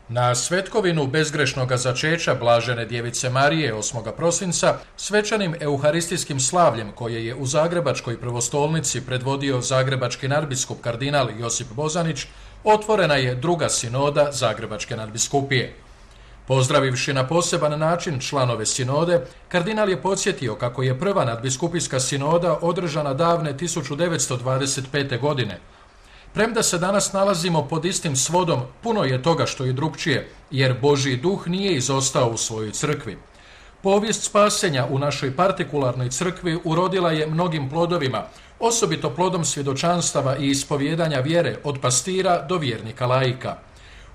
Na svetkovinu bezgrešnoga začeća Blažene djevice Marije 8. prosinca svečanim euharistijskim slavljem koje je u Zagrebačkoj prvostolnici predvodio zagrebački nadbiskup kardinal Josip Bozanić, otvorena je druga sinoda Zagrebačke nadbiskupije. Pozdravivši na poseban način članove sinode, kardinal je podsjetio kako je prva nadbiskupijska sinoda održana davne 1925. godine. Premda se danas nalazimo pod istim svodom, puno je toga što je drukčije, jer Božji duh nije izostao u svojoj crkvi. Povijest spasenja u našoj partikularnoj crkvi urodila je mnogim plodovima, osobito plodom svjedočanstava i ispovijedanja vjere od pastira do vjernika laika.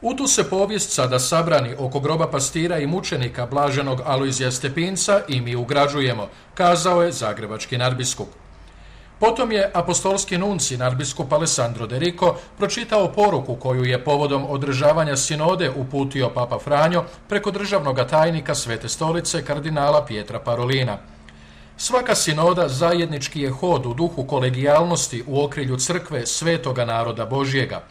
U tu se povijest sada sabrani oko groba pastira i mučenika blaženog Alojzija Stepinca i mi ugrađujemo, kazao je zagrebački nadbiskup. Potom je apostolski nunci nadbiskup Alessandro De Rico pročitao poruku koju je povodom održavanja sinode uputio Papa Franjo preko državnog tajnika Svete stolice kardinala Pietra Parolina. Svaka sinoda zajednički je hod u duhu kolegijalnosti u okrilju crkve svetoga naroda Božjega.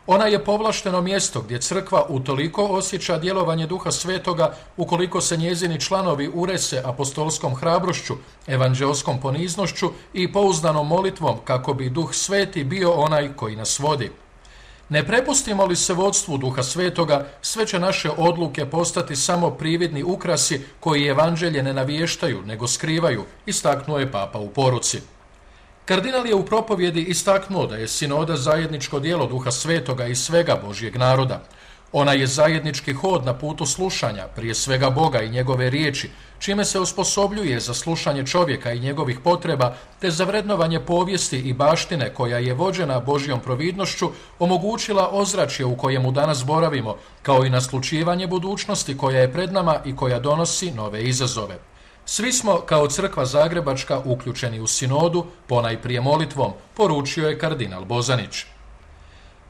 Ona je povlašteno mjesto gdje crkva utoliko osjeća djelovanje duha svetoga ukoliko se njezini članovi urese apostolskom hrabrošću, evanđelskom poniznošću i pouzdanom molitvom kako bi duh sveti bio onaj koji nas vodi. Ne prepustimo li se vodstvu duha svetoga, sve će naše odluke postati samo prividni ukrasi koji evanđelje ne navještaju nego skrivaju, istaknuo je Papa u poruci. Kardinal je u propovjedi istaknuo da je sinoda zajedničko djelo duha svetoga i svega Božjeg naroda. Ona je zajednički hod na putu slušanja, prije svega Boga i njegove riječi, čime se osposobljuje za slušanje čovjeka i njegovih potreba, te za vrednovanje povijesti i baštine koja je vođena Božjom providnošću omogućila ozračje u kojemu danas boravimo, kao i naslućivanje budućnosti koja je pred nama i koja donosi nove izazove. Svi smo kao crkva zagrebačka uključeni u sinodu, ponajprije molitvom, poručio je kardinal Bozanić.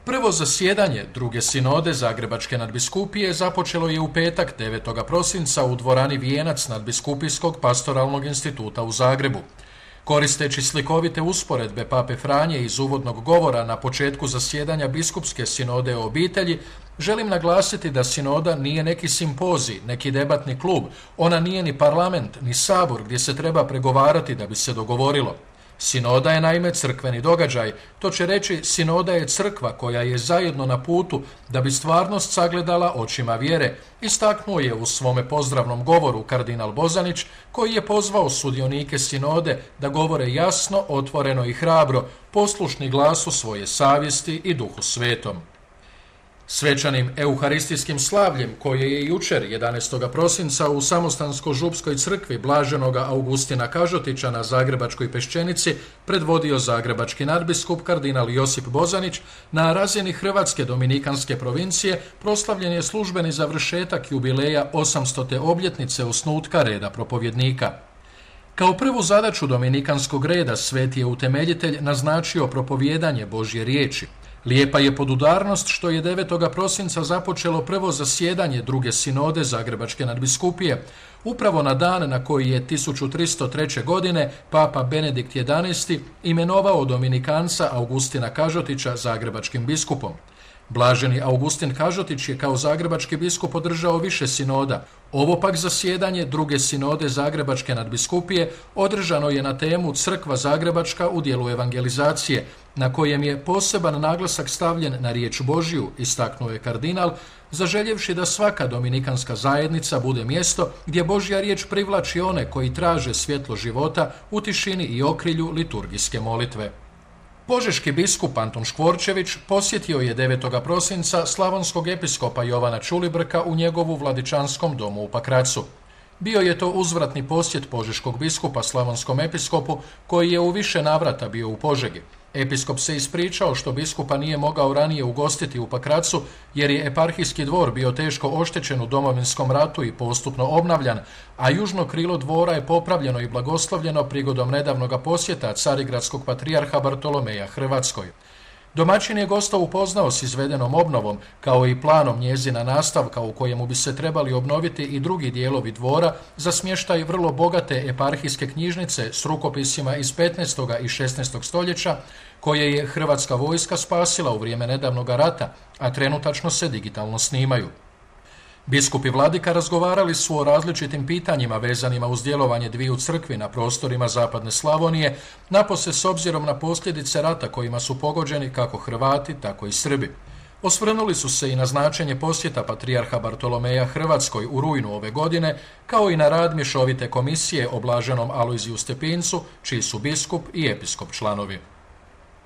Prvo zasjedanje druge sinode Zagrebačke nadbiskupije započelo je u petak 9. prosinca u dvorani Vijenac nadbiskupijskog pastoralnog instituta u Zagrebu. Koristeći slikovite usporedbe Pape Franje iz uvodnog govora na početku zasjedanja biskupske sinode o obitelji, želim naglasiti da sinoda nije neki simpozij, neki debatni klub, ona nije ni parlament, ni sabor gdje se treba pregovarati da bi se dogovorilo. Sinoda je naime crkveni događaj, to će reći sinoda je crkva koja je zajedno na putu da bi stvarnost sagledala očima vjere, istaknuo je u svome pozdravnom govoru kardinal Bozanić, koji je pozvao sudionike sinode da govore jasno, otvoreno i hrabro, poslušni glasu svoje savjesti i duhu svetom. Svečanim euharistijskim slavljem koje je jučer 11. prosinca u Samostansko-župskoj crkvi blaženoga Augustina Kažotića na Zagrebačkoj Peščenici predvodio zagrebački nadbiskup kardinal Josip Bozanić, na razini Hrvatske dominikanske provincije proslavljen je službeni završetak jubileja 800. obljetnice osnutka reda propovjednika. Kao prvu zadaću dominikanskog reda sveti je utemeljitelj naznačio propovijedanje Božje riječi. Lijepa je podudarnost što je 9. prosinca započelo prvo zasjedanje druge sinode Zagrebačke nadbiskupije, upravo na dan na koji je 1303. godine Papa Benedikt XI imenovao dominikanca Augustina Kažotića zagrebačkim biskupom. Blaženi Augustin Kažotić je kao zagrebački biskup održao više sinoda. Ovo pak zasjedanje druge sinode Zagrebačke nadbiskupije održano je na temu Crkva Zagrebačka u dijelu evangelizacije, na kojem je poseban naglasak stavljen na riječ Božju, istaknuo je kardinal, zaželjevši da svaka dominikanska zajednica bude mjesto gdje Božja riječ privlači one koji traže svjetlo života u tišini i okrilju liturgijske molitve. Požeški biskup Antun Škvorčević posjetio je 9. prosinca slavonskog episkopa Jovana Čulibrka u njegovu vladičanskom domu u Pakracu. Bio je to uzvratni posjet požeškog biskupa slavonskom episkopu koji je u više navrata bio u Požegi. Episkop se ispričao što biskupa nije mogao ranije ugostiti u Pakracu jer je eparhijski dvor bio teško oštećen u Domovinskom ratu i postupno obnavljan, a južno krilo dvora je popravljeno i blagoslovljeno prigodom nedavnoga posjeta carigradskog patrijarha Bartolomeja Hrvatskoj. Domaćin je gosta upoznao s izvedenom obnovom, kao i planom njezina nastavka u kojemu bi se trebali obnoviti i drugi dijelovi dvora za smještaj vrlo bogate eparhijske knjižnice s rukopisima iz 15. i 16. stoljeća, koje je Hrvatska vojska spasila u vrijeme nedavnog rata, a trenutačno se digitalno snimaju. Biskup i vladika razgovarali su o različitim pitanjima vezanima uz djelovanje dviju crkvi na prostorima zapadne Slavonije, napose s obzirom na posljedice rata kojima su pogođeni kako Hrvati, tako i Srbi. Osvrnuli su se i na značenje posjeta patrijarha Bartolomeja Hrvatskoj u rujnu ove godine, kao i na rad mješovite komisije o blaženom Alojziju Stepincu, čiji su biskup i episkop članovi.